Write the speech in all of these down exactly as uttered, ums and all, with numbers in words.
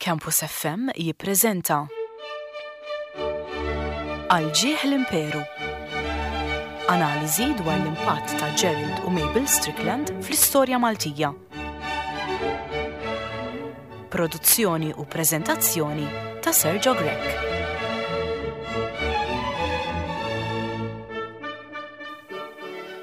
Campus F M jippreżenta Għal Ġieħ l-Imperu. Analiżi dwar l-impatt ta' Gerald u Mabel Strickland fl-istorja Maltija. Produzzjoni u preżentazzjoni ta' Sergio Grech.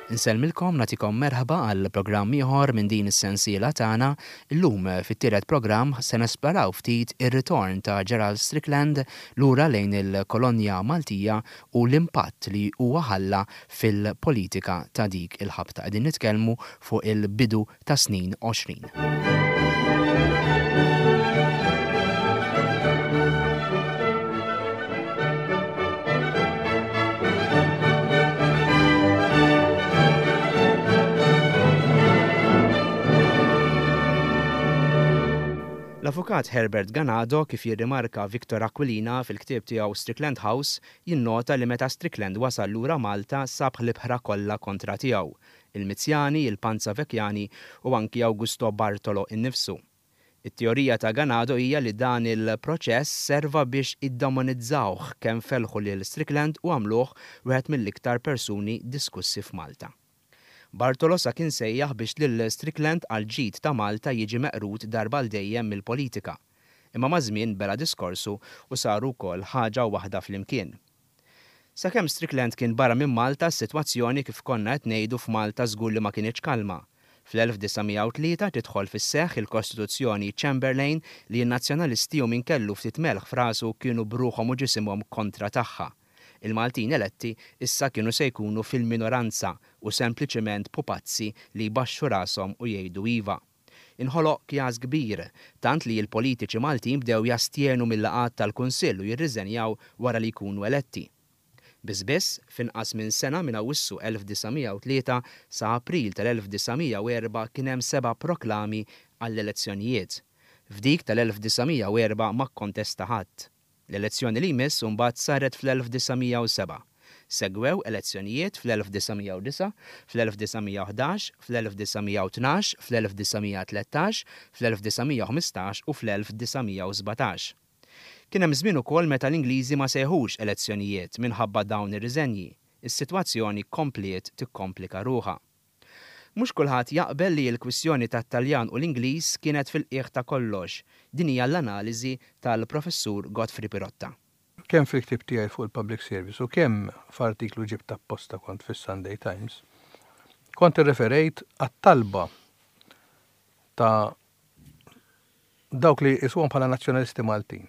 Insellmilkom, nagħtikom merħba għal programm ieħor minn din is-sensiela tagħna. Illum fit-tielet programm se nesploraw ftit ir-ritorn ta' Gerald Strickland lura lejn il-kolonja Maltija u l-impatt li huwa ħalla fil-politika ta' dik il-ħabta. Qegħdin nitkellmu fuq il-bidu ta' snin għoxrin. L-avukat Herbert Ganado, kif jirrimarka Victor Aquilina fil-ktieb tiegħu Strickland House, jinnota li meta Strickland wasal lura Malta sab l-ibħra kollha kontra tiegħu, il-Mizjani, il-Panzavecchiani u anki Augusto Bartolo innifsu. It-teorija ta' Ganado hija li dan il-proċess serva biex iddomonizzawh kemm felħu lil Strickland u għamluh wieħed mill-iktar persuni diskussi f'Malta. Bartolo sa kien sejjaħ biex lil Strickland għal ġid ta' Malta jiġi meqrud darba għal dejjem mill-politika. Imma maż-żmien bela diskorsu u saru wkoll ħaġa waħda flimkien. Sakemm Strickland kien barra minn Malta, s-sitwazzjoni kif konna qed ngħidu f'Malta żgur li ma kinitx kalma. Fl-elf disa' mija u tlieta tidħol fis-seħħ il-Kostituzzjoni Chamberlain li n-nazzjonalisti u min kellu ftit melħ f'rasu kienu bruħhom u ġisimhom kontra tagħha. Il-Maltin eletti issa kienu se jkunu fil-minoranza u sempliċement pupazzi li jbaxxu rashom u jgħidu iva. Inħoloq kjas kbir, tant li l-politiċi Maltin bdew jastjenu mill-laqgħat tal-Kunsill u jirriżenjaw wara li jkunu eletti. Biss biss, f'inqas minn sena minn Awwissu elf disa' mija u tlieta sa April tal-elf disa' mija u erba' kien hemm seba' proklami għall-elezzjonijiet. F'dik tal-elf disa' mija u erba' ma kkontesta ħadd. L-elezzjoni li jmiss mbagħad saret fl-elf disa' mija u seba'. Segwew elezzjonijiet fl-elf disa' mija u disa', fl-elf disa' mija u ħdax, fl-elf disa' mija u tnax, fl-elf disa' mija tlettax, fl-elf disa' mija u ħmistax u fl-elf disa' mija u sbatax. Kien hemm żmien ukoll meta l-Ingliżi ma sejħux elezzjonijiet minħabba dawn ir-riżenji. Is-sitwazzjoni kompliet tikkomplika ruħha. Mhux kulħadd jaqbel li l-kwistjoni tat-Taljan u l-Ingliż kienet fil-qiegħ ta' kollox. Din hija l-analiżi tal-Professur Godfrey Pirotta. Kemm fil-ktieb tiegħi fuq il-Public Service u kemm f'artiklu ġibt apposta kont fis-Sunday Times, kont irreferejt għat-talba ta' dawk li jisuhom bħala nazzjonalisti Maltin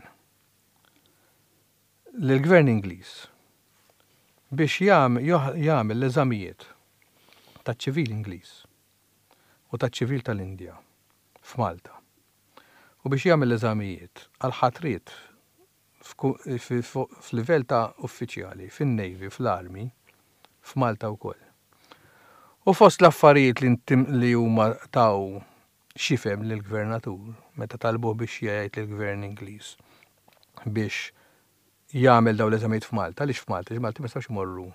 lill-Gvern Ingliż biex jam-, joh-, jagħmel l-eżamijiet taċ-ċivil Ingliż u taċ-ċivil tal-Indja f'Malta u biex jagħmel l-eżamijiet għal ħatriet f'ku-, fi-, fu-, f'livell ta' uffiċjali fin-Navy, fl-Army, f'Malta wkoll. U fost l-affarijiet li ntim-, li huma taw xifem lill-gvernatur meta talbuh biex jgħid lill-gvern Ingliż biex jagħmel dawn l-eżamijiet f'Malta, għaliex f'Malta, għax Malti ma jistgħux imorru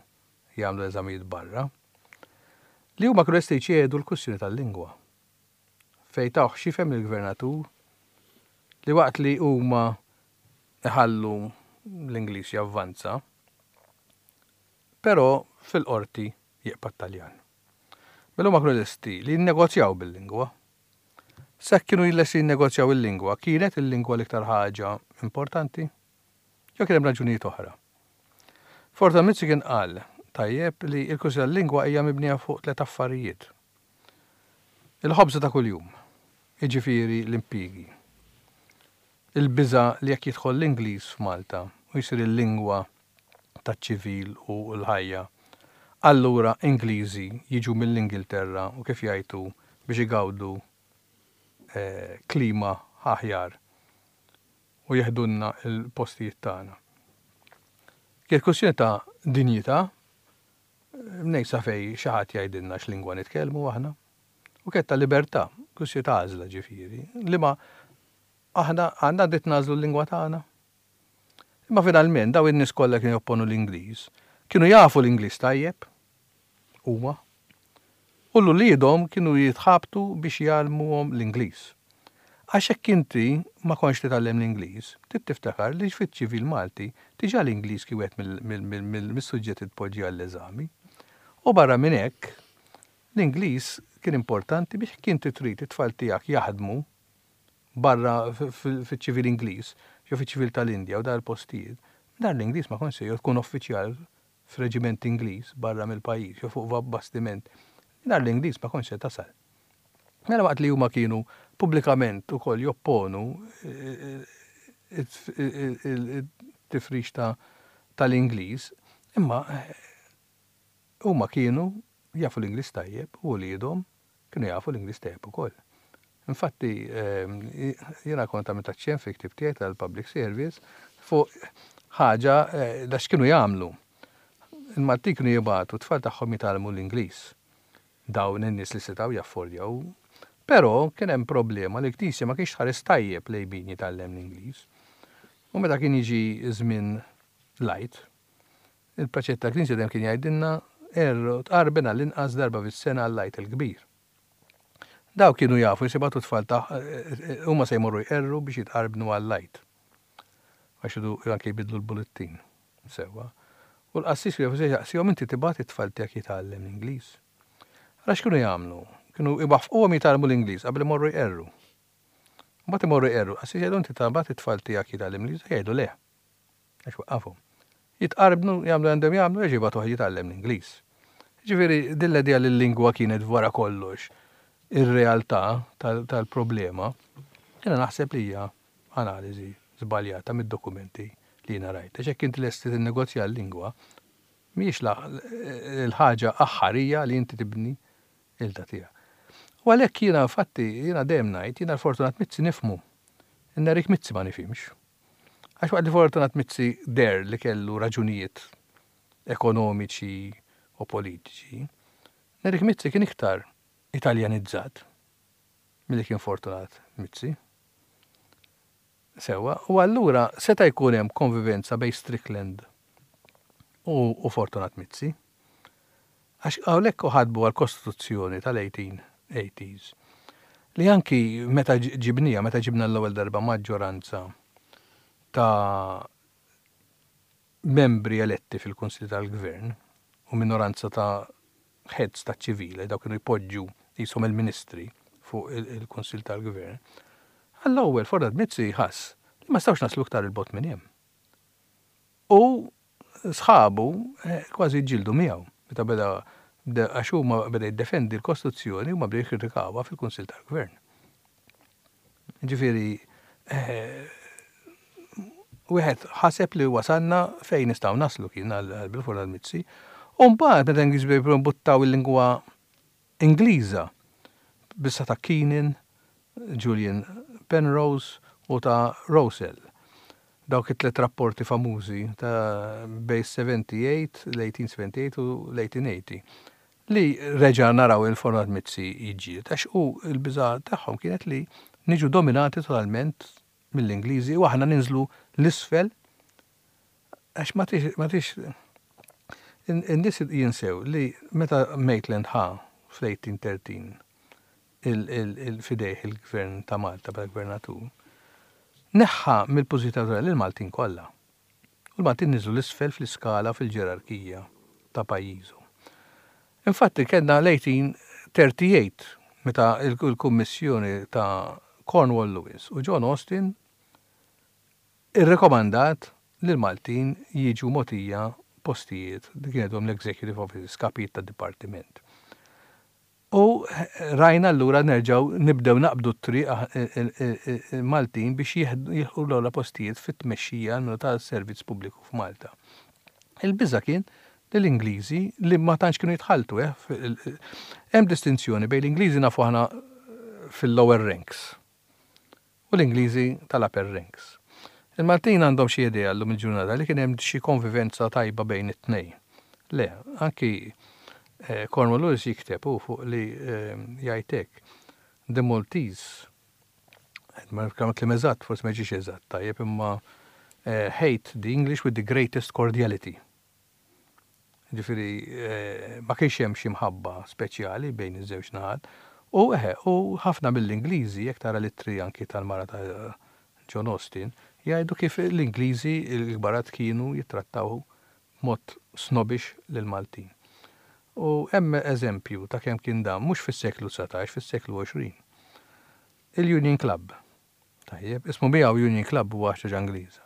jagħmlu l-eżamijiet barra, li huma kienu lesti jċedu l-kwistjoni tal-lingwa. Fejn tawh xifem lill-gvernatur li waqt li huma iħallu l-Ingliż javvanza, però fil-qorti jibqa' t-Taljan. Mela huma kienu lesti li jinnegozjaw bil-lingwa. Sekk kienu lesti jinnegozjaw il-lingwa, kienet il-lingwa l-iktar ħaġa importanti? Jew kien hemm raġunijiet oħra. Fortunato Mizzi kien qal tajjeb li l-kwistjoni tal-lingwa hija mibnija fuq tliet affarijiet. Il-ħobża ta' kuljum, jiġifieri l-impjiegi. Il-biża' li jekk jidħol l-Ingliż f'Malta u jsir il-lingwa taċ-ċivil u l-ħajja, allura Ingliżi jiġu mill-Ingilterra u kif jgħidu biex igawdu, eh, klima aħjar u jeħdunna l-postijiet tagħna. Kienet kwestjoni ta' dinjità, mnejn sa fej xi ħadd jgħidilna x'lingwa nitkellmu aħna, u kienet ta' libertà, kwestjoni ta' għażla ġifieri, li ma aħna għandna dritt nagħżlu l-lingwa tagħna. Imma finalment daw in-nies kollha kienu jopponu l-Ingliż, kienu jafu l-Ingliż tajjeb huma, u l-uliedhom kienu jitħabtu biex jgħallmuhom l-Ingliż. Għax hekk inti ma kontx titgħallem l-Ingliż, trid tiftakar li fiċ-ċivil Malti diġà l-Ingliż kien wieħed mill-suġġetti tpoġġi għall-eżami. U barra minn hekk, l-Ingliż kien importanti biex kien trid it-tfal tiegħek jaħdmu barra fiċ-ċivil Ingliż, jew fiċ-ċivil tal-Indja u dar postijiet. Dar l-Ingliż ma kontx jew tkun uffiċjal f'reġiment Ingliż barra mill-pajjiż jew fuq bastiment. Dar l-Ingliż ma kontx se tasal. Mela waqt li huma kienu pubblikament ukoll jopponu it-tifrix tal-Ingliż, imma huma kienu jafu l-Ingliż tajjeb u wliedhom kienu jafu l-Ingliż tajjeb ukoll. Infatti, jiena kont għamilt aċċenn fi ktieb tiegħi tal-Public Service fuq ħaġa da x'kienu jagħmlu. Il-Maltin kienu jibagħtu tfal tagħhom jitgħallmu l-Ingliż. Dawn in-nies li setgħu jaffordjaw. Però kien hemm problema li l-Knisja ma kienx tħares tajjeb lejn min jitgħallem l-Ingliż. U meta kien jiġi żmien l-Għid, il-preċett tal-Knisja dejjem kien jgħidilna erru tqarben għall-inqas darba fis-sena għall-Għid il-kbir. Daw kienu jafu jisibatu tfal ta' huma se jmorru jqerru biex jitqarbnu għall-Għid. Għax idu anke jbidlu l-bullettin. Sewwa. U l-qassis jafu se jaqsihom inti tibgħat it-tfal tiegħek jitgħallem l-Ingliż. Għax kienu jagħmlu? Kienu iwaffquhom jitgħallmu l-Ingliż qabel imorru jqerru. Mbagħad imorru jqerru, qassis jgħidu inti tibgħat it-tfal tiegħek jitgħallem l-Ingliż, jgħidu le. Għax waqqafhom. Jitqarbnu, jagħmlu għandhom jagħmlu, jiġi jibgħatu jitgħallem l-Ingliż. Ġifieri din l-idea li l-lingwa kienet wara kollox ir-realtà tal-problema, jiena naħseb li hija analiżi żbaljata mid-dokumenti li jiena rajt. Għax hekk inti lesti tinnegozja l-lingwa, mhijiex l-ħaġa aħħarija li inti tibni il-da tiegħek. U għalhekk jiena infatti jiena dejjem ngħid jiena l-Fortunat Mizzi nifhmu. Nerik Mizzi ma nifhimx. Għax waqt li Fortunat Mizzi der li kellu raġunijiet ekonomiċi u politiċi, Nerik Mizzi kien iktar italjanizzat milli kien Fortunat Mizzi. Sewwa, u allura seta' jkun hemm konvivenza bejn Strickland u, u Fortunat Mizzi. Għax hawnhekk ħadbu għall-Kostituzzjoni tal-eighteen eighties. Li anki meta ġibnija, meta ġibna l-ewwel darba maġġoranza ta' membri eletti fil-Kunsill tal-Gvern u minoranza ta' heads ta' ċivili, dawk kienu jpoġġu jisom il-ministri fuq il-Kunsill tal-Gvern. Għall-ewwel Fortunat Mizzi ħass li ma stawx naslu iktar il-bot minn hemm. U sħabu kważi ġildu miegħu meta beda għax huma beda jiddefendi l-Kostituzzjoni u ma bdew jikkritikawha fil-Kunsill tal-Gvern. Ġifieri wieħed ħaseb li wasalna fejn nistgħu naslu kien għal bil-Fortunat Mizzi. U mbagħad meta Ingliż bdew jimbuttaw il-lingwa Ingliża bissa ta' Keenan, Julian Penrose u ta' Rowsell. Dawk it-tliet rapporti famużi ta' bejn seventy-eight, l-eighteen seventy-eight u l-eighteen eighty li reġa' naraw il-Fortunat Mizzi jiġġieled għax hu l-biża' tagħhom kienet li niġu dominati totalment mill-Ingliżi u aħna ninżlu l-isfel għax ma tix, ma tix in-nies jinsew li meta Maitland ħa fl-eighteen thirteen il-fidejh il-gvern ta' Malta bħala gvernatur, neħħa mill-pożizzjoni lil Maltin kollha. U l-Maltin niżlu l-isfel fl-iskala fil-ġerarkija ta' pajjiżu. Infatti kellna l-eighteen thirty-eight meta il-Kummissjoni ta' Cornwall Lewis u John Austin irrekomandat li l-Maltin jiġu mogħtija postijiet li kienet l-Executive Office, kapijiet ta' dipartiment. U rajna allura nerġgħu nibdew naqbdu t-triq Maltin biex jieħdu l-ogħla postijiet fit-tmexxija tas-servizz pubbliku f'Malta. Il-biża' kien li l-Ingliżi li ma tantx kienu jitħalltu, eh, hemm distinzjoni bejn l-Ingliżi nafu aħna fil-lower ranks u l-Ingliżi tal-upper ranks. Il-Maltin għandhom xi idea llum il-ġurnata li kien hemm xi konvivenza tajba bejn it-tnejn. Le, anki eh, Cornwall Lewis jikteb u fuq li, eh, jgħid hekk, The Maltese, ma niftakar kliem eżatt, forsi ma jiġix eżatt, tajjeb, imma, eh, hate the English with the greatest cordiality. Ġifieri, eh, ma kienx hemm xi mħabba speċjali bejn iż-żewġ naħat. U eħe, u ħafna mill-Ingliżi, jekk tara l-ittri anki tal-mara ta' John Austin, jgħidu kif l-Ingliżi l-kbarat kienu jittrattaw mod snobbish lill-Maltin. U hemm eżempju ta' kemm kien dan mhux fis-seklu dsatax, fis-seklu għoxrin. Il-Union Club. Tajjeb, ismu miegħu Union Club huwa ħaġa Ingliża.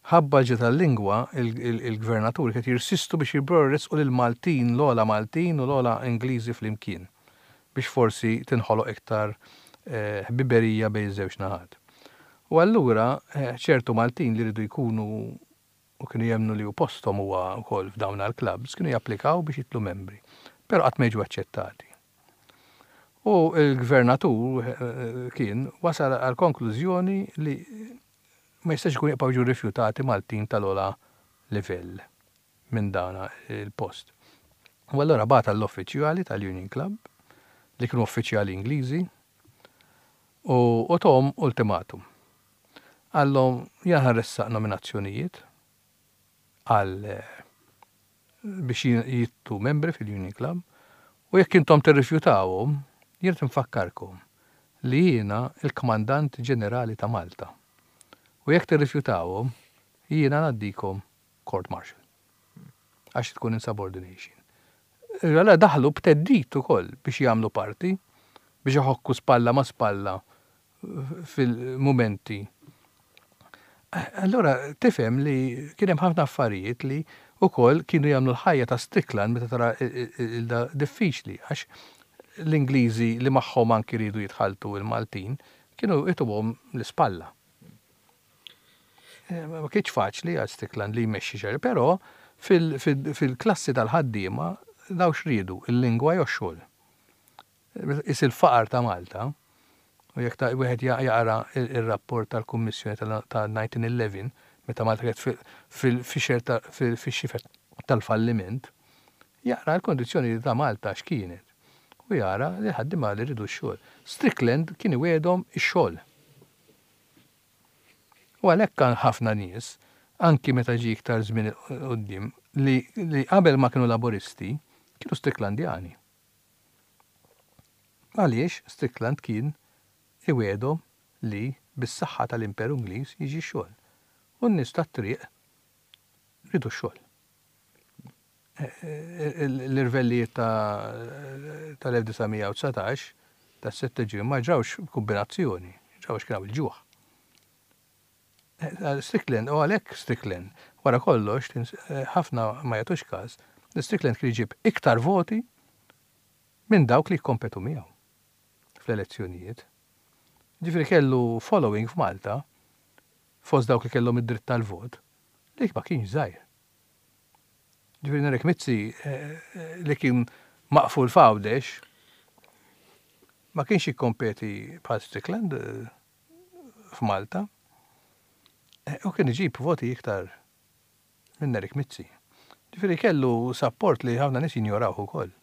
Ħabba ġi tal-lingwa, il-gvernatur qed jirsistu biex jibborrisqu lil Maltin, l-ogħla Maltin u l-ogħla Ingliżi flimkien biex forsi tinħoloq iktar eh, ħbiberija bejn żewġ naħat. U allura eh, ċertu Maltin li rridu jkunu u kienu jemnu li u postom huwa wkoll f'dawn għal-clubs kienu japplikaw biex jitlu membri, però qatt ma jiġu aċċettati. U l-gvernatur eh, kien wasal għal konklużjoni li ma jistax ikun jibqgħu jiġu rifjutati Maltin tal-ogħla livell minn dana il-post. U allura bagħat l-uffiċjali tal-Union Club li kienu uffiċjali Ingliżi u u tahom ultimatum. Qallhom jien ħa nressaq nominazzjonijiet għal eh, biex jitlu membri fil-Union Club u jekk intom tirrifjutawhom, jien nfakkarkom li jiena il-Kmandant Ġenerali ta' Malta. U jekk tirrifjutawhom, jiena ngħaddikom court martial. Għax tkun insubordination. Għala daħlu b'theddid ukoll biex jagħmlu parti, biex iħokku spalla ma' spalla fil-momenti. Allora tifhem li kien hemm ħafna affarijiet li wkoll kienu jagħmlu l-ħajja ta' Strickland meta tara il-da diffiċli għax l-Ingliżi li magħhom anki ridu jitħaltu il-Maltin kienu jtuhom l-ispalla. Eh, Ma kienx faċli għal Strickland li jmexxi xejn, però fil-klassi tal-ħaddiema daw x'riedu, il-lingwa jew xogħol. Is il-faqar ta' Malta, u jekk ta' wieħed jaqra il-rapport tal-Kummissjoni tal-elfejn u ħdax, meta Malta kienet fil-xifer tal-falliment, jaqra l-kondizzjoni ta' Malta x'kienet. U jara li ħaddiema li rridu x-xogħol. Strickland kien iwegħedhom ix-xogħol. U għalhekk kan ħafna nies, anki meta ġi iktar żmien quddiem, li, li qabel ma kienu laboristi, kienu Stricklandjani. Għaliex Strickland kien iwegħedhom li bis-saħħa tal-Imperu Ingliż jiġi x-xogħol. U n-nies tat-triq ridu x-xogħol. L-irvellijiet tal-elf disa' mija u dsatax ta' sette ġimgħa ma ġrawx kombinazzjoni, ġrawx kien il-ġuħ. Strickland, u għalhekk Strickland, wara kollox, ħafna ma jagħtux każ, Strickland kien jġib iktar voti minn dawk li kompetu miegħu fl-elezzjonijiet. Ġifieri kellu following f'Malta fost dawk li kellhom id-dritt tal-vot li ma kienx żgħir. Ġifieri Nerik Mizzi li kien maqful f'Għawdex ma kienx jikkompeti bħal Strickland f'Malta. U kien iġib voti iktar minn Nerik Mizzi. Ġifieri kellu support li ħafna nies jinjorawh ukoll.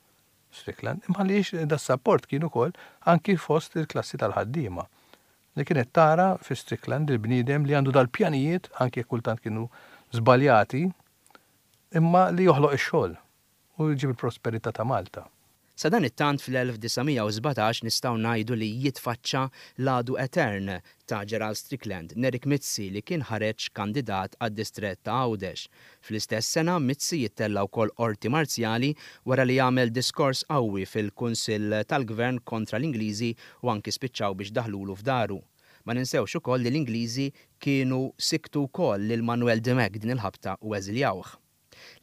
Strickland, imma li da support kien ukoll anki fost il-klassi tal-ħaddiema li kienet tara fi Strickland il-bniedem li għandu dal-pjanijiet anki kultant kienu żbaljati imma li joħloq ix-xogħol u jġib il-prosperità ta' Malta. Sadanittant fl-elf disa' mija u sbatax nistgħu ngħidu li jitfaċċa l-għadu etern ta' Gerald Strickland, Nerik Mizzi, li kien ħareġ kandidat għad-distrett ta' Għawdex. Fl-istess sena Mizzi jittella wkoll qorti marzjali wara li jagħmel diskors qawwi fil-Kunsill tal-Gvern kontra l-Ingliżi u anki spiċċaw biex daħlulu f'daru. Ma ninsewx ukoll li l-Ingliżi kienu siktu wkoll lil Manuel Dimech din il-ħabta u eżiljawh.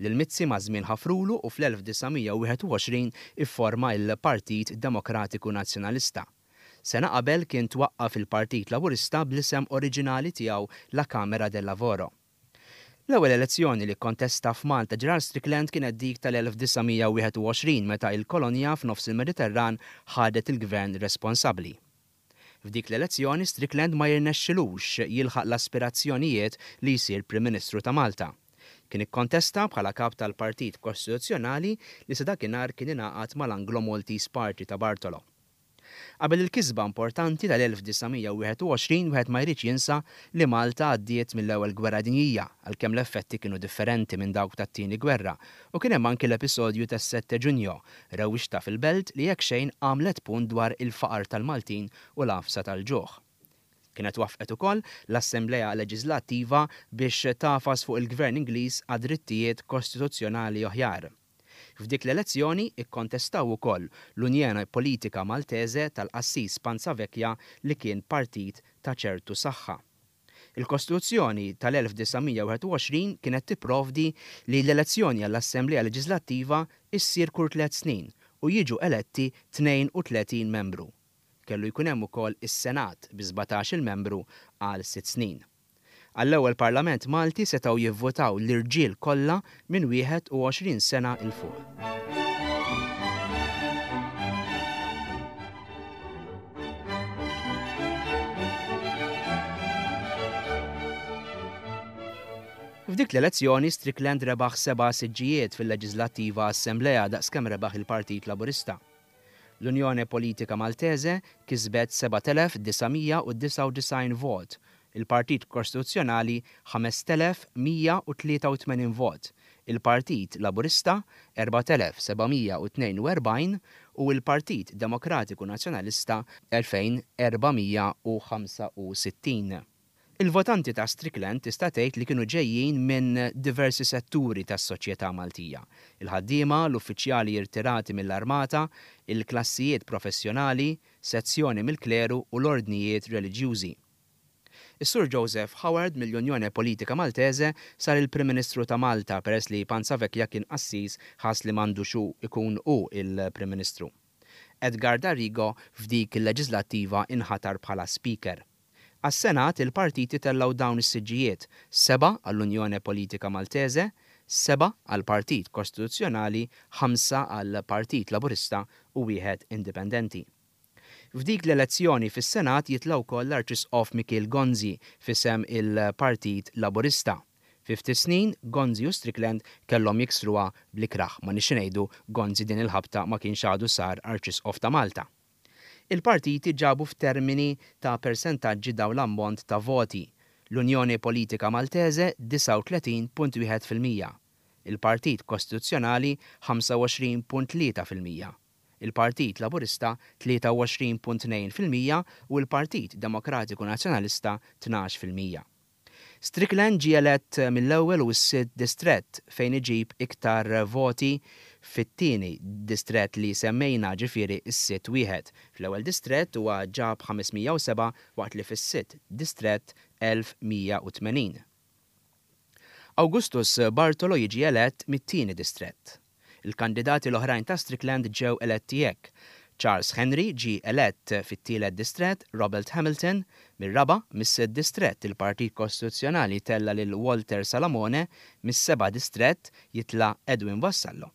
Lil Mizzi maż-żmien ħafrulu u fl-elf disa' mija u wieħed u għoxrin ifforma il-Partit Demokratiku Nazzjonalista. Sena qabel kien twaqqaf il-Partit Laburista bl-isem oriġinali tiegħu La Camera del Lavoro. L-ewwel elezzjoni li kontesta f'Malta Gerald Strickland kienet dik tal-elf disa' mija u wieħed u għoxrin meta il-kolonja f'nofs il-Mediterran ħadet il-gvern responsabbli. F'dik l-elezzjoni Strickland ma jirnexxilux jilħaq l-aspirazzjonijiet li jsir Prim Ministru ta' Malta. Kien ikkontesta bħala kap tal-Partit Kostituzzjonali li sa dakinhar kien ingħaqad mal-Anglo Maltese Party ta' Bartolo. Qabel il-kisba importanti tal-elf disa' mija u wieħed u għoxrin wieħed ma jridx jinsa li Malta għaddiet mill-Ewwel Gwerra Dinjija, għalkemm l-effetti kienu differenti minn dawk tat-Tieni Gwerra, u kien hemm anki l-episodju tas-sette Ġunju, rewwixta fil-belt li jekk xejn għamlet punt dwar il-faqar tal-Maltin u l-għafsa tal-ġuħ. Kienet waffqet ukoll l-Assemblea Leġislattiva biex tafas fuq il-Gvern Ingliż għad-drittijiet kostituzzjonali oħjar. F'dik l-elezzjoni ikkontestaw ukoll l-Unjoni Politika Maltese tal-Qassis Panzavecchia li kien partit ta' ċertu saħħa. Il-Kostituzzjoni tal-elf disa' mija u wieħed u għoxrin kienet tipprovdi li l-elezzjoni għall-Assemblea Leġislattiva issir kull tliet snin u jiġu eletti tnejn u tletin membru. Kellu jkun hemm ukoll is-Senat bi sbatax-il membru għal sitt snin. Għall-ewwel Parlament Malti setgħu jivvotaw l-irġiel kollha minn wieħed u għoxrin sena 'l fuq. F'dik l-elezzjoni Strickland rebaħ seba' siġġijiet fil-Leġislattiva Assemblea daqskemm rebaħ il-Partit Laburista. L-Unjoni Politika Maltese kisbet seba' telef disa' mija u disgħa u disgħin vot, il-Partit Kostituzzjonali ħames telef mija u tlieta u tmenin vot, il-Partit Laburista erba' telef seba' mija u tnejn u erbgħin u il-Partit Demokratiku Nazzjonalista elfejn erba' mija u ħamsa u sittin. Il-votanti ta' Strickland tista' tgħid li kienu ġejjin minn diversi setturi tas-soċjetà Maltija. Il-ħaddiema, l-uffiċjali irtirati mill-armata, il-klassijiet professjonali, sezzjoni mill-kleru u l-ordnijiet reliġjużi. Is-Sur Joseph Howard mill-Unjoni Politika Maltese sar il-Prim Ministru ta' Malta peress li Panzavecchia kien qassis ħass li m'għandux hu ikun hu il-Prim Ministru. Edgar D'Arrigo f'dik il-leġislattiva inħatar bħala Speaker. Għas-Senat il-partiti tellaw dawn is-siġġijiet, seba' għall-Unjoni Politika Maltese, seba' għall-Partit Kostituzzjonali, ħamsa għall-Partit Laburista u wieħed Indipendenti. F'dik l-elezzjoni fis-Senat jitla' wkoll l-Arċisqof Mikiel Gonzi fisem il-Partit Laburista. Fi ftit snin Gonzi u Strickland kellhom jiksruha bl-ikraħ, ma nix ngħidu Gonzi din il-ħabta ma kienx għadu sar Arċisqof ta' Malta. Il-partiti ġabu f'termini ta' persentaġġi dawn l-ammont ta' voti. L-Unjoni Politika Maltese disgħa u tletin punt wieħed fil-mija, il-Partit Kostituzzjonali ħamsa u għoxrin punt tlieta fil-mija, il-Partit Laburista tlieta u għoxrin punt tnejn fil-mija u l-Partit Demokratiku Nazzjonalista tnax fil-mija. Strickland ġie elett mill-ewwel u s-sitt distrett fejn iġib iktar voti fit-tieni distrett li semmejna, ġifieri s-sitt wieħed. Fl-ewwel distrett huwa ġab ħames mija u seba' waqt li fis-sitt distrett elf mija u tmenin. Augustus Bartolo jiġi elett mit-tieni distrett. Il-kandidati l-oħrajn ta' Strickland ġew eletti hekk. Charles Henry ġie elett fit-tielet distrett, Robert Hamilton, mir-raba' mis-sitt distrett il-Partit Kostituzzjonali tella lil Walter Salamone, mis-seba' distrett jitla' Edwin Vassallo.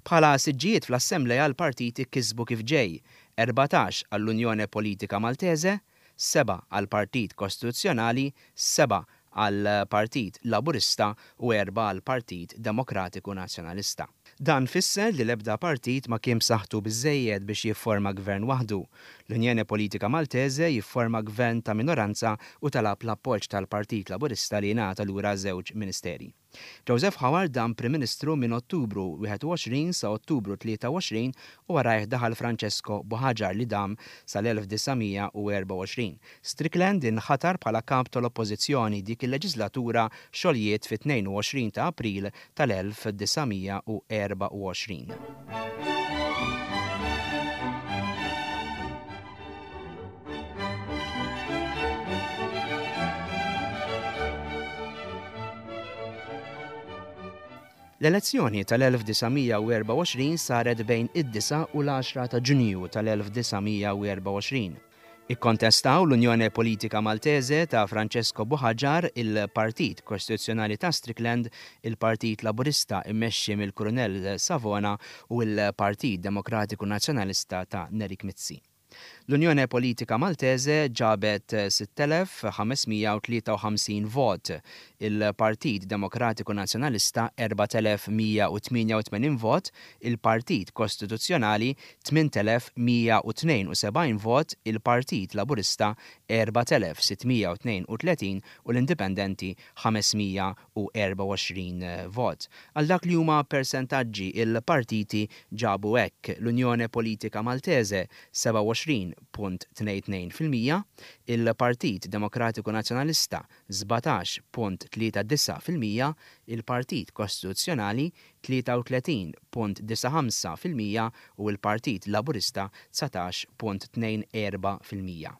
Bħala siġġijiet fl-Assemblea l-partiti kisbu kif ġej, erbatax għall-Unjoni Politika Maltese, seba' għall-Partit Kostituzzjonali, seba' għall-Partit Laburista u erba' għall-Partit Demokratiku Nazzjonalista. Dan fisser li l-ebda partit ma kien b'saħħtu biżżejjed biex jifforma gvern waħdu. L-Unjoni Politika Maltese jifforma gvern ta' minoranza u talab l-appoġġ tal-Partit Laburista li jingħata lura żewġ ministeri. Joseph Howard dam Prim Ministru minn Ottubru wieħed u għoxrin sa Ottubru tlieta u għoxrin u warajh daħal Francesco Buhagiar li dam sal-elf disa' mija u erba' u għoxrin. Strickland inħatar bħala kap tal-Oppożizzjoni dik il-leġislatura xogħlijiet fit-tnejn u għoxrin ta' April tal-elf disa' mija u erba' u għoxrin. L-elezzjoni tal-elf disa' mija u erba' u għoxrin saret bejn id-disa' u l-għaxra ta' Ġunju tal-elf disa' mija u erba' u għoxrin. Ikkontestaw l-Unjoni Politika Maltese ta' Francesco Buhagiar, il-Partit Kostituzzjonali ta' Strickland, il-Partit Laburista immexxi mill-Kurunell Savona u l-Partit Demokratiku Nazzjonalista ta' Nerik Mizzi. L-Unjone Politika Maltese ġabet sitt elef ħames mija u tlieta u ħamsin vot, il-Partit Demokratiku Nazzjonalista erbat elef mija u tmienja u tmenin vot, il-Partit Kostituzzjonali tmint elef mija u tnejn u sebgħin vot, il-Partit Laburista erbat elef sitt mija u tnejn u tletin u l-Indipendenti ħames mija u erba' u għoxrin vot. Għal dak li huma persentaġġi il-partiti ġabu hekk: l-Unjone Politika Maltese seba' u għoxrin punt tnejn tnejn fil-mija, il-Partit Demokratiku Nazzjonalista sbatax punt tlieta disa' fil-mija, il-Partit Kostituzzjonali tlieta u tletin punt disa' ħamsa fil-mija u l-Partit Laburista dsatax punt tnejn erba' fil-mija.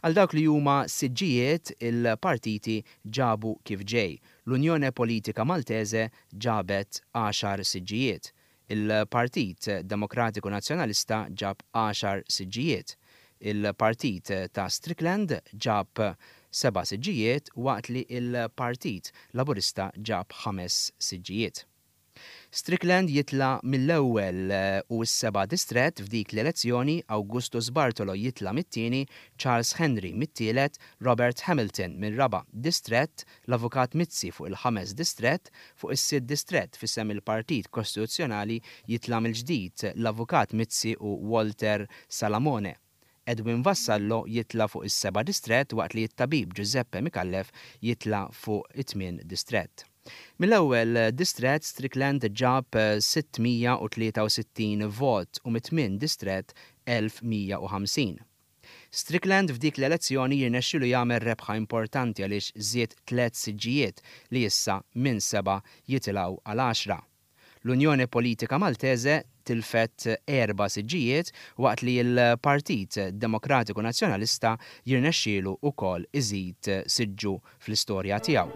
Għal dawk li huma siġġijiet il-partiti ġabu kif ġej. L-Unjone Politika Maltese ġabet għaxar siġġijiet. Il-Partit Demokratiku Nazzjonalista ġab għaxar siġġijiet. Il-Partit ta' Strickland ġab seba' siġġijiet waqt li il-Partit Laburista ġab ħames siġġijiet. Strickland jitla mill-ewwel u s-seba' distrett f'dik l-elezzjoni, Augustus Bartolo jitla mit-tieni, Charles Henry mit-tielet, Robert Hamilton mir-raba' distrett, l-Avukat Mizzi fuq il-ħames distrett, fuq is-sitt distrett f'isem il-Partit Kostituzzjonali jitla mill-ġdid l-Avukat Mizzi u Walter Salamone. Edwin Vassallo jitla fuq is-seba' distrett waqt li t-tabib Giuseppe Micallef jitla fuq it-tmien distrett. Mill-ewwel distrett Strickland ġab sitt mija u tlieta u sittin vot u mit-tmien distrett elf mija u ħamsin. Strickland f'dik l-elezzjoni jirnexxielu jagħmel rebħa importanti għaliex żied tliet siġġijiet li issa minn seba' jitilgħu għal għaxra. L-Unjoni Politika Maltese tilfet erba' siġġijiet waqt li l-Partit Demokratiku Nazzjonalista jirnexxielu wkoll iżid siġġu fl-istorja tiegħu.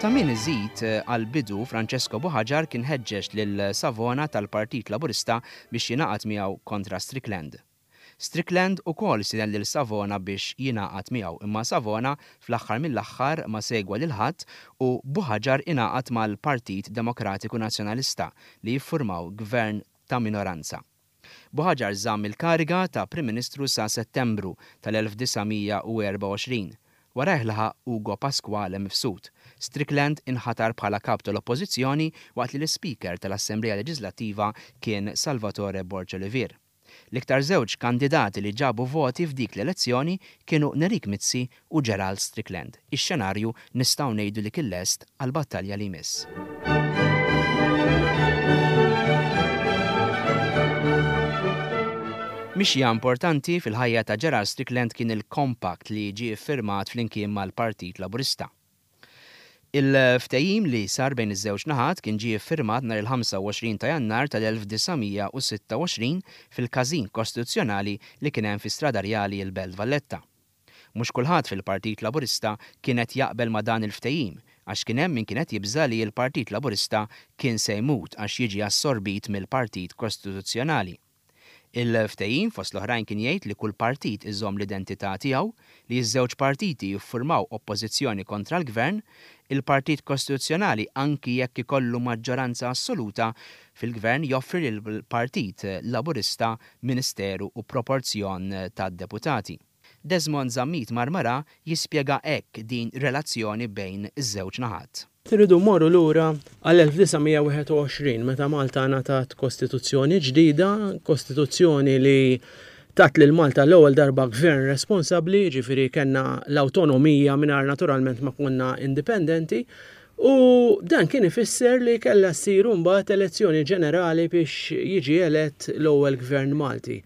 Ta' min iżid għal-bidu Francesco Buhagiar kien ħeġġeġ lil Savona tal-Partit Laburista biex jingħaqad miegħu kontra Strickland. Strickland ukoll stieden lil Savona biex jingħaqad miegħu, imma Savona fl-aħħar mill-aħħar ma segwa lil ħadd u Buhagiar ingħaqad mal-Partit Demokratiku Nazzjonalista li jiffurmaw gvern ta' minoranza. Buhagiar żamm il-kariga ta' Prim Ministru sa' Settembru tal-elf disa' mija u erba' u għoxrin. Warajh laħaq Ugo Pasquale Mifsud. Strickland inħatar bħala kap tal-Oppożizzjoni waqt li l-Speaker tal-Assemblea Leġislattiva kien Salvatore Borg Olivier. L-iktar żewġ kandidati li ġabu voti f'dik l-elezzjoni kienu Nerik Mizzi u Gerald Strickland. Ix-xenarju nistgħu ngħidu li kien lest għall-battalja li jmiss. Mixja importanti fil-ħajja ta' Gerald Strickland kien il-compact li ġie iffirmat flimkien mal-Partit Laburista. Il-ftehim li sar bejn iż-żewġ naħat kien ġie iffirmat nhar il-ħamsa u għoxrin ta' Jannar tal-elf disa' mija u sitta u għoxrin fil-Każin Kostituzzjonali li kien hemm fi Strada Rjali l-Belt Valletta. Mhux kulħadd fil-Partit Laburista kien qed jaqbel ma' dan il-ftehim, għax kien hemm min kien qed jibża' li l-Partit Laburista kien se jmut għax jiġi assorbit mill-Partit Kostituzzjonali. Il-ftehim fost l-oħrajn kien jgħid li kull partit iżomm l-identità tiegħu, li ż-żewġ partiti jiffurmaw oppożizzjoni kontra l-gvern, il-Partit Kostituzzjonali anki jekk ikollu maġġoranza assoluta fil-gvern joffri lill-Partit Laburista ministeru u proporzjon tad-deputati. Desmond Zammit Marmara jispjega hekk din relazzjoni bejn iż-żewġ naħat. Irridu mmorru lura għall-elf disa' mija wieħed u għoxrin meta Malta ngħatat kostituzzjoni ġdida, kostituzzjoni li tat lil Malta l-ewwel darba gvern responsabbli, jiġifieri kellna l-awtonomija mingħajr naturalment ma konna indipendenti, u dan kien ifisser li kellha ssir imbagħad elezzjoni ġenerali biex jiġi elett l-ewwel gvern Malti.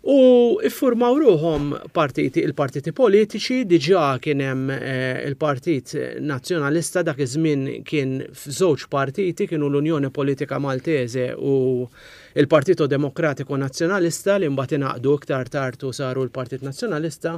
U iffurmaw ruhom partiti, il-partiti politiċi, diġà kien hemm, eh, il-Partit Nazzjonalista, dak iż-żmien kien f'żewġ partiti, kienu l-Unjoni Politika Maltese u il-Partito Demokratiku Nazzjonalista li mbagħad ingħaqdu iktar tard u saru l-Partit Nazzjonalista.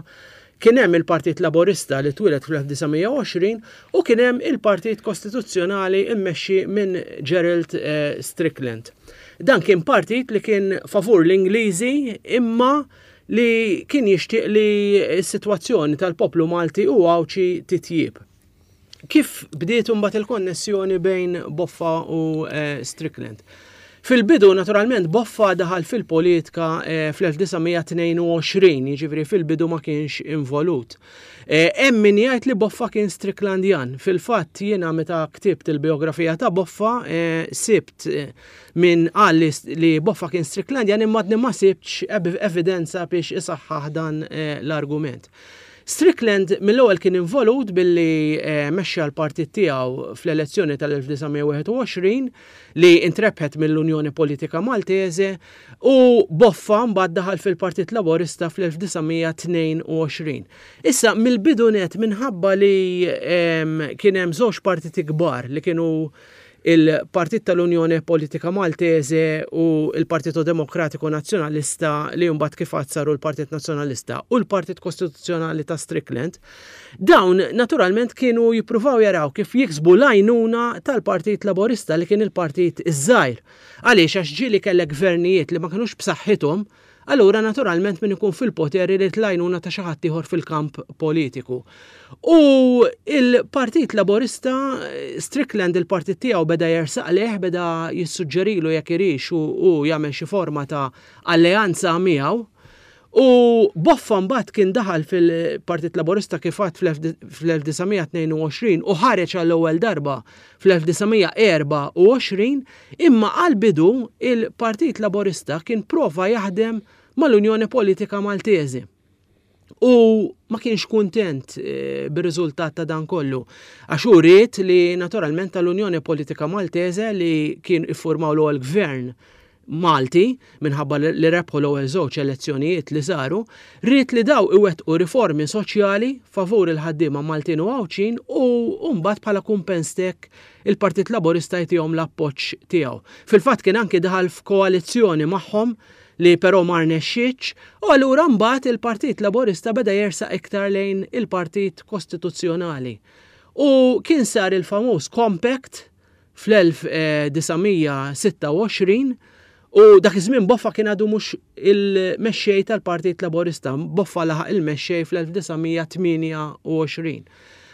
Kien hemm il-Partit Laburista li twieled fl-elf disa' mija u għoxrin u kien hemm il-Partit Kostituzzjonali immexxi minn Gerald, eh, Strickland. Dan kien partit li kien favur l-Ingliżi imma li kien jixtieq li s-sitwazzjoni tal-poplu Malti u Għawdxi titjieb. Kif bdiet imbagħad il-konnessjoni bejn Boffa u eh, Strickland? Fil-bidu, naturalment, Boffa daħal fil-politika eh, fl-elf disa' mija tnejn u għoxrin, jiġifieri fil-bidu ma kienx involut. Eh, hemm min jgħid li Boffa kien Stricklandian. Fil-fatt jiena meta ktibt il-biografija ta' Boffa, eh, sibt, eh, min qal li, li Boffa kien Stricklandian, imma għadni ma sibtx ev-, evidenza biex isaħħaħ dan, eh, l-argument. Strickland mill-ewwel kien involut billi, eh, mexxa l-partit tiegħu fl-elezzjoni tal-elf disa' mija wieħed u għoxrin li intrebħet mill-Unjoni Politika Maltese, u Boffa mbagħad daħal fil-Partit Laburista fl-elf disa' mija tnejn u għoxrin. Issa mill-bidu net minħabba li, ehm, kien hemm żewġ partiti kbar li kienu il-Partit tal-Unjoni Politika Maltese u il-Partito Demokratiku Nazzjonalista li mbagħad kif għad saru l-Partit Nazzjonalista u l-Partit Kostituzzjonali ta' Strickland, dawn naturalment kienu jippruvaw jaraw kif jiksbu l-għajnuna tal-Partit Laburista li kien il-partit iż-żgħir. Għaliex? Għax ġieli kellek gvernijiet li ma kinux b'saħħithom, allura naturalment min ikun fil-poter irid l-għajnuna ta' xi ħadd ieħor fil-kamp politiku. U il-Partit Laburista, Strickland il-partit tiegħu beda jersaq leh, beda jissuġġerilu jekk irix u, u jagħmel xi forma ta' alleanza miegħu. U Boffa mbagħad kien daħal fil-Partit Laburista kif għad fl-elf disa' mija tnejn u għoxrin u ħareġ għall-ewwel darba fl-elf disa' mija erba' u għoxrin, imma għall-bidu il-Partit Laburista kien prova jaħdem mal-Unjoni Politika Maltese. U ma kienx kuntent, eh, bir-riżultat ta' dan kollu. Għax hu ried li naturalment tal-Unjoni Politika Maltese li kien iffurmaw l-ewwel gvern Malti minħabba li, li rebħu l-ewwel żewġ elezzjonijiet li saru, ried li daw iwettqu riformi soċjali favur il-ħaddiema Maltin u Għawdxin u mbagħad bħala kumpens tek il-Partit Laburista jtihom l-appoġġ tiegħu. Fil-fatt kien anki daħal f'koalizzjoni magħhom li però ma rnexxietx, u allura mbagħad il-Partit Laburista beda jersaq iktar lejn il-Partit Kostituzzjonali. U kien sar il-famuż Compact fl-elf disa' mija sitta u għoxrin, u dak iż-żmien Boffa kien għadu mhux il-mexxej tal-Partit Laburista, Boffa laħaq il-mexxej fl-elf disa' mija tmienja u għoxrin.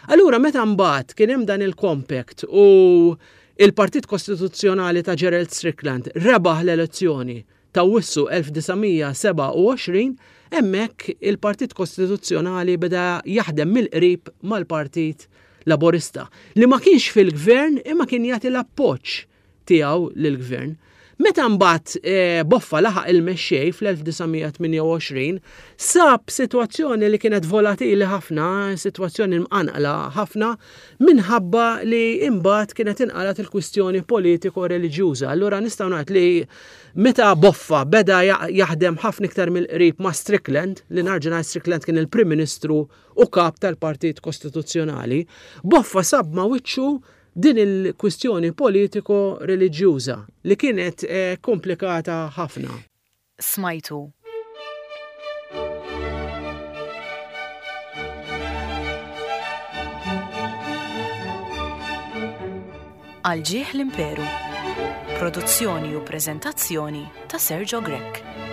Allura meta mbagħad kien hemm dan il-Compact u il-Partit Kostituzzjonali ta' Gerald Strickland rebaħ l-elezzjoni ta' Awwissu elf disa' mija seba' u għoxrin, hemmhekk il-Partit Kostituzzjonali beda jaħdem mill-qrib mal-Partit Laburista, li ma kienx fil-gvern imma kien jagħti l-appoġġ tiegħu lill-gvern. Meta mbagħad, eh, Boffa laħaq il-mexxej fl-elf disa' mija tmienja u għoxrin, sab sitwazzjoni li kienet volatili ħafna, sitwazzjoni mqanqla ħafna, minħabba li imbagħad kienet inqalat il-kwistjoni politiko-reliġjuża. Allura nistgħu ngħid li meta Boffa beda ja-, jaħdem ħafna iktar mill-qrib ma' Strickland, li narġa' ngħid Strickland kien il-Prim Ministru u kap tal-Partit Kostituzzjonali, Boffa sab ma' wiċċu din il-kwistjoni politiko-reliġjuża li kienet, eh, komplikata ħafna. Smajtu. Għal ġieħ l-Imperu. Produzzjoni u preżentazzjoni ta' Sergio Grech.